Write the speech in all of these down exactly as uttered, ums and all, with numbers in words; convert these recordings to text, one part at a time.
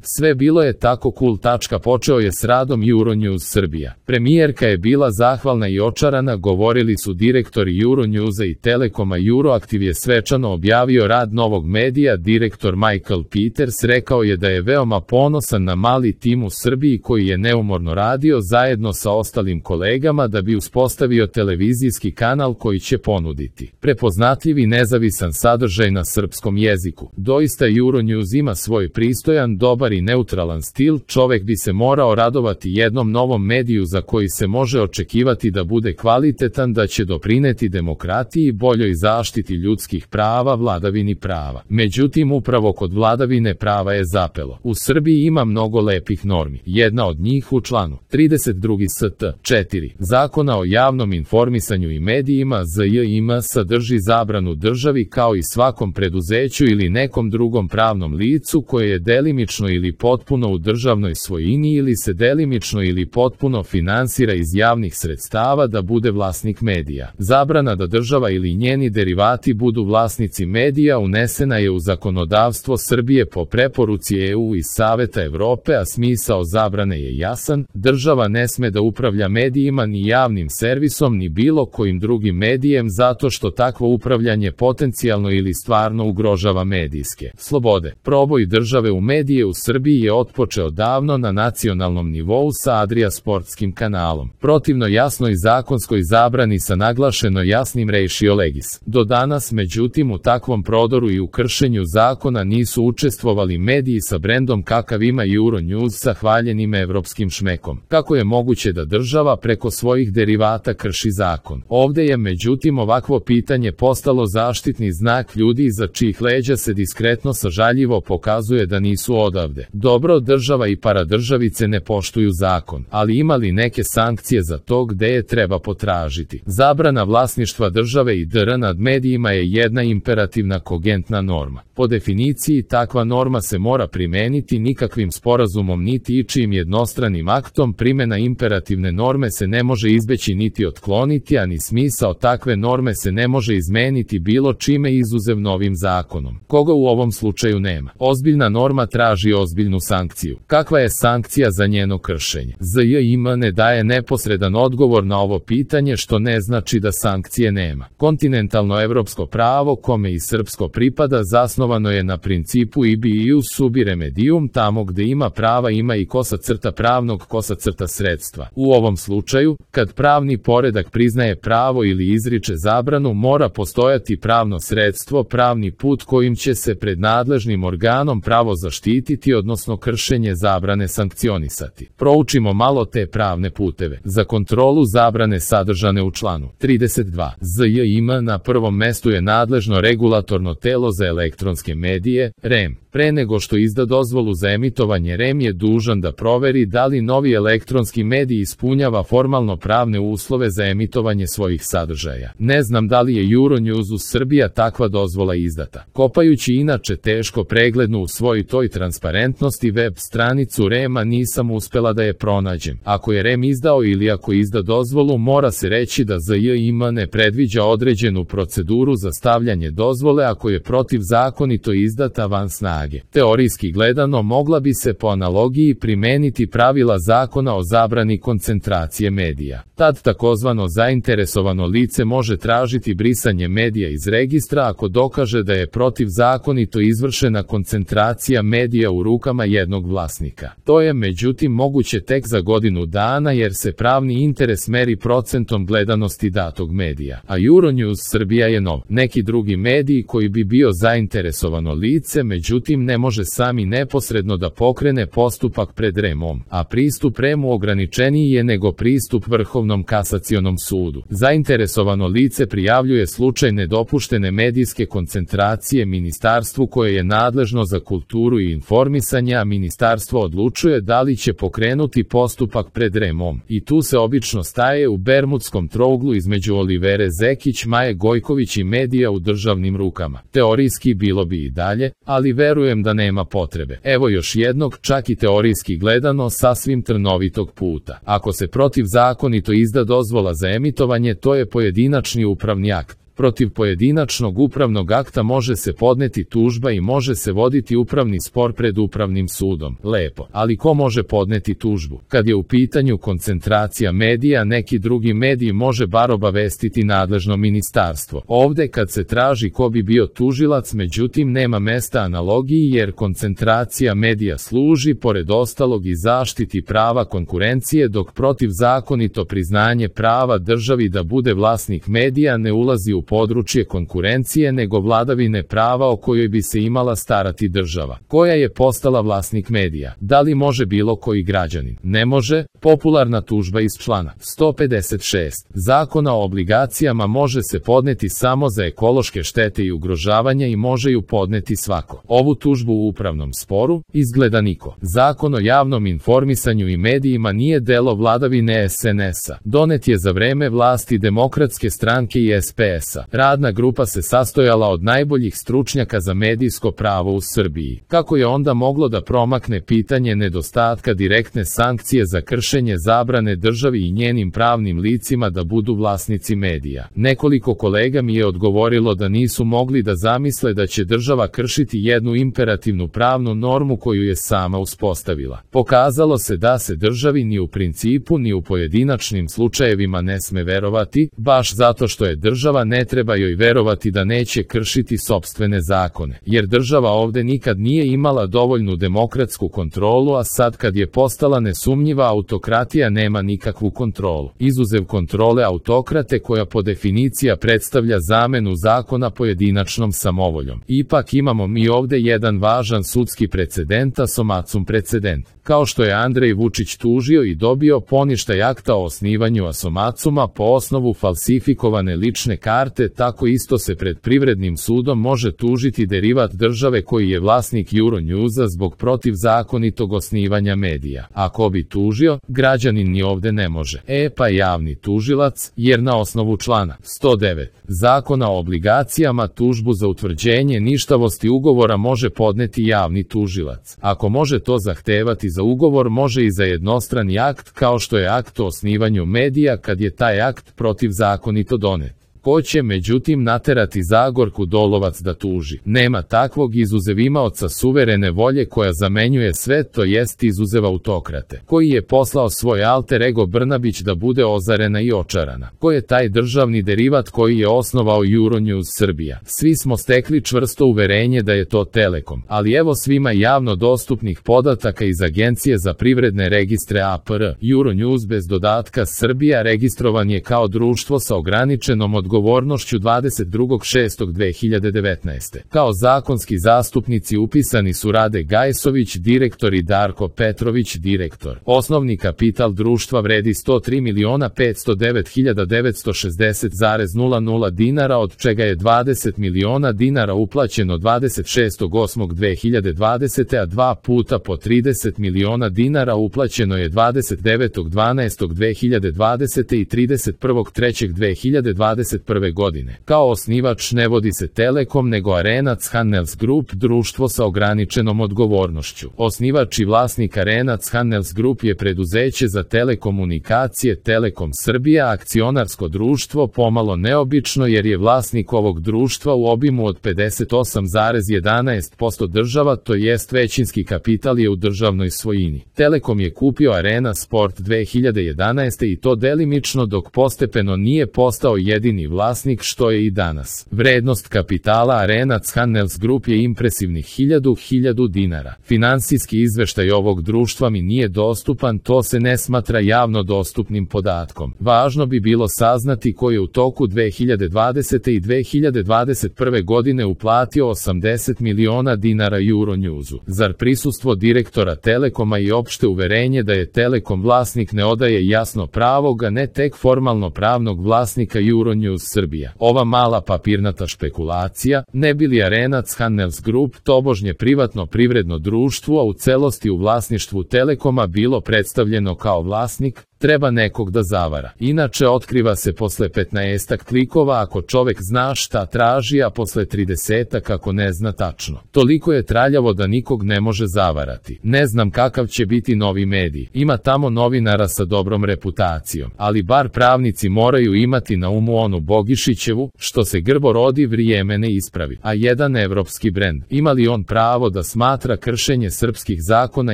Sve bilo je tako cool. Počeo je s radom Euronews Srbija. Premijerka je bila zahvalna i očarana, govorili su direktori Euronewsa i Telekoma. Euroactiv je svečano objavio rad novog medija. Direktor Michael Peters rekao je da je veoma ponosan na mali tim u Srbiji koji je neumorno radio zajedno sa ostalim kolegama da bi uspostavio televizijski kanal koji će ponuditi prepoznatljiv i nezavisan sadržaj na srpskom jeziku. Doista Euronews ima svoj pristojan, dobar i neutralan stil. Čovek bi se morao radovati jednom novom mediju za koji se može očekivati da bude kvalitetan, da će doprineti demokratiji i boljoj zaštiti ljudskih prava, vladavini prava. Međutim, upravo kod vladavine prava je zapelo. U Srbiji ima mnogo lepih normi. Jedna od njih u članu trideset dva st. četiri Zakona o javnom informisanju i medijima Z J I M sadrži zabranu državi kao i svakom preduzeću ili nekom drugom pravnom licu koje je delimično ili potpuno u državnoj svojini ili se delimično ili potpuno finansira iz javnih sredstava da bude vlasnik medija. Zabrana da država ili njeni derivati budu vlasnici medija unesena je u zakonodavstvo Srbije po preporuci E U i Saveta Evrope, a smisao zabrane je jasan. Država ne sme da upravlja medijima ni javnim servisom ni bilo kojim drugim medijem zato što takvo upravljanje potencijalno ili stvarno ugrožava medijske slobode. Proboj države u medije u Srbiji je otpočeo davno na nacionalnom nivou sa Adria sportskim kanalom. Protivno jasnoj zakonskoj zabrani sa naglašeno jasnim ratio legis. Do danas, međutim, u takvom prodoru i u kršenju zakona nisu učestvovali mediji sa brendom kakav ima Euronews sa hvaljenim evropskim šmekom. Kako je moguće da država preko svojih derivata krši zakon? Ovde je međutim ovakvo pitanje postalo zaštitni znak ljudi iza čijih leđa se diskretno sažaljivo pokazuje da nisu odavde. Dobro, država i paradržavice ne poštuju zakon, ali ima li neke sankcije za to gde je treba potražiti? Zabrana vlasništva države i D R nad medijima je jedna imperativna kogentna norma. Po definiciji takva norma se mora primeniti, nikakvim sporazumom niti ičijim jednostranim aktom. Primena imperativne norme se ne može izbeći niti otkloniti, a ni smisao takve norme se ne može izmeniti bilo čime izuzev novim zakonom, koga u ovom slučaju nema. Ozbiljna norma traži ozbiljnu sankciju. Kakva je sankcija za njeno kršenje? Z J I M ne daje neposredan odgovor na ovo pitanje, što ne znači da sankcije nema. Kontinentalno evropsko pravo, kome i srpsko pripada, zasnovano je na principu ibi ius subi remedium, tamo gde ima prava ima i kosa crta pravnog kosa crta sredstva. U ovom slučaju, kad pravni poredak priznaje pravo ili izriče zabranu, mora postojati pravno sredstvo, pravni put kojim će se pred nadležnim organom pravo zaštititi, odnosno kršenje zabrane sankcionisati. Proučimo malo te pravne puteve. Za kontrolu zabrane sadržane u članu trideset dva Z J I M na prvom mestu je nadležno regulatorno telo za elektronske medije, R E M. Pre nego što izda dozvolu za emitovanje, R E M je dužan da proveri da li novi elektronski medij ispunjava formalno pravne uslove za emitovanje svojih sadržaja. Ne znam da li je Euronews u Srbija takva dozvola izdata. Kopajući inače teško preglednu u svoj toj transparentnosti web stranicu R E M-a nisam uspela da je pronađem. Ako je R E M izdao ili ako izda dozvolu, mora se reći da Z J I M ne predviđa određenu proceduru za stavljanje dozvole ako je protivzakonito izdata van snage. Teorijski gledano mogla bi se po analogiji primeniti pravila zakona o zabrani koncentracije medija. Tad takozvano zainteresovano lice može tražiti brisanje medija iz registra ako dokaže da je protivzakonito izvršena koncentracija medija u rukama jednog vlasnika. To je međutim moguće tek za godinu dana jer se pravni interes meri procentom gledanosti datog medija. A Euronews Srbija je nov. Neki drugi mediji koji bi bio zainteresovano lice, međutim ne može sami neposredno da pokrene postupak pred R E M-om, a pristup R E M-u ograničeniji je nego pristup Vrhovnom kasacionom sudu. Zainteresovano lice prijavljuje slučaj nedopuštene medijske koncentracije ministarstvu koje je nadležno za kulturu i informisanje, a ministarstvo odlučuje da li će pokrenuti postupak pred R E M-om. I tu se obično staje u bermudskom trouglu između Olivere Zekić, Maje Gojković i medija u državnim rukama. Teorijski bilo bi i dalje, ali verujem da nema potrebe. Evo još jednog, čak i teorijski gledano, sasvim trnovitog puta. Ako se protivzakonito izda dozvola za emitovanje, to je pojedinačni upravni akt. Protiv pojedinačnog upravnog akta može se podneti tužba i može se voditi upravni spor pred upravnim sudom. Lepo, ali ko može podneti tužbu? Kad je u pitanju koncentracija medija, neki drugi mediji može bar obavestiti nadležno ministarstvo. Ovde kad se traži ko bi bio tužilac, međutim nema mesta analogiji jer koncentracija medija služi pored ostalog i zaštiti prava konkurencije, dok protivzakonito priznanje prava državi da bude vlasnik medija ne ulazi u područje konkurencije nego vladavine prava o kojoj bi se imala starati država, koja je postala vlasnik medija. Da li može bilo koji građanin? Ne može. Popularna tužba iz člana sto pedeset šest Zakona o obligacijama može se podneti samo za ekološke štete i ugrožavanja i može ju podneti svako. Ovu tužbu u upravnom sporu izgleda niko. Zakon o javnom informisanju i medijima nije delo vladavine es en es-a. Donet je za vreme vlasti Demokratske stranke i es pe es-a. Radna grupa se sastojala od najboljih stručnjaka za medijsko pravo u Srbiji. Kako je onda moglo da promakne pitanje nedostatka direktne sankcije za kršenje zabrane državi i njenim pravnim licima da budu vlasnici medija? Nekoliko kolega mi je odgovorilo da nisu mogli da zamisle da će država kršiti jednu imperativnu pravnu normu koju je sama uspostavila. Pokazalo se da se državi ni u principu ni u pojedinačnim slučajevima ne sme verovati, baš zato što je država ne treba joj verovati da neće kršiti sopstvene zakone, jer država ovde nikad nije imala dovoljnu demokratsku kontrolu, a sad kad je postala nesumnjiva autokratija nema nikakvu kontrolu. Izuzev kontrole autokrate koja po definicija predstavlja zamenu zakona pojedinačnom samovoljom. Ipak imamo mi ovde jedan važan sudski precedent, a Asomacum precedent. Kao što je Andrej Vučić tužio i dobio poništaj akta o osnivanju Asomacuma po osnovu falsifikovane lične karte, tako isto se pred privrednim sudom može tužiti derivat države koji je vlasnik Euronewsa zbog protivzakonitog osnivanja medija. Ako bi tužio, građanin ni ovde ne može. E pa javni tužilac, jer na osnovu člana sto devet Zakona o obligacijama tužbu za utvrđenje ništavosti ugovora može podneti javni tužilac. Ako može to zahtevati za ugovor, može i za jednostrani akt kao što je akt o osnivanju medija kad je taj akt protivzakonito donet. Ko će međutim naterati Zagorku Dolovac da tuži? Nema takvog izuzev imaoca suverene volje koja zamenjuje sve, to jest izuzev autokrate, koji je poslao svoj alter ego Brnabić da bude ozarena i očarana. Ko je taj državni derivat koji je osnovao Euronews Srbija? Svi smo stekli čvrsto uverenje da je to Telekom, ali evo svima javno dostupnih podataka iz Agencije za privredne registre A P R. Euronews bez dodatka Srbija registrovan je kao društvo sa ograničenom odgovornošću odgovornošću dvadeset drugog šestog dve hiljade devetnaeste. Kao zakonski zastupnici upisani su Rade Gajsović, direktor, i Darko Petrović, direktor. Osnovni kapital društva vredi sto tri miliona petsto devet hiljada devetsto šezdeset zarez nula nula dinara, od čega je dvadeset miliona dinara uplaćeno dvadeset šestog osmog dve hiljade dvadesete. a dva puta po trideset miliona dinara uplaćeno je dvadeset devetog dvanaestog dve hiljade dvadesete. i trideset prvog trećeg dve hiljade dvadeset prve. godine. Kao osnivač ne vodi se Telekom nego Arenac Handels Group, društvo sa ograničenom odgovornošću. Osnivač i vlasnik Arenac Handels Group je preduzeće za telekomunikacije Telekom Srbija, akcionarsko društvo, pomalo neobično jer je vlasnik ovog društva u obimu od pedeset osam zarez jedanaest posto država, to jest većinski kapital je u državnoj svojini. Telekom je kupio Arena Sport dve hiljade jedanaeste. i to delimično, dok postepeno nije postao jedini vlasnik, što je i danas. Vrednost kapitala Arenac Handels Group je impresivnih hiljadu hiljadu dinara. Finansijski izveštaj ovog društva mi nije dostupan, to se ne smatra javno dostupnim podatkom. Važno bi bilo saznati ko je u toku dve hiljade dvadesete. i dve hiljade dvadeset prve. godine uplatio osamdeset miliona dinara Euronewsu. Zar prisustvo direktora Telekoma i opšte uverenje da je Telekom vlasnik ne odaje jasno pravog, a ne tek formalno pravnog vlasnika Euronews Srbija? Ova mala papirnata špekulacija, ne bi li Arenac Handels Group, tobožnje privatno privredno društvo, a u celosti u vlasništvu Telekoma, bilo predstavljeno kao vlasnik? treba nekog da zavara. Inače otkriva se posle petnaestak klikova ako čovek zna šta traži, a posle tridesetak ako ne zna tačno. Toliko je traljavo da nikog ne može zavarati. Ne znam kakav će biti novi medij. Ima tamo novinara sa dobrom reputacijom, ali bar pravnici moraju imati na umu onu Bogišićevu, što se grbo rodi vrijeme ne ispravi. A jedan evropski brend, ima li on pravo da smatra kršenje srpskih zakona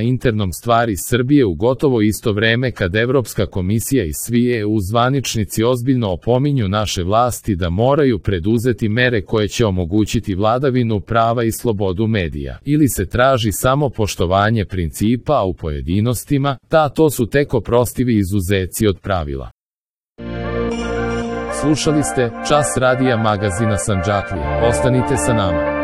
internom stvari Srbije u gotovo isto vreme kad Evropska komisija i svi E U zvaničnici ozbiljno opominju naše vlasti da moraju preduzeti mere koje će omogućiti vladavinu prava i slobodu medija, ili se traži samo poštovanje principa, a u pojedinostima, ta to su tek oprostivi izuzeci od pravila. Slušali ste Čas radija magazina Sandžaklija. Ostanite sa nama.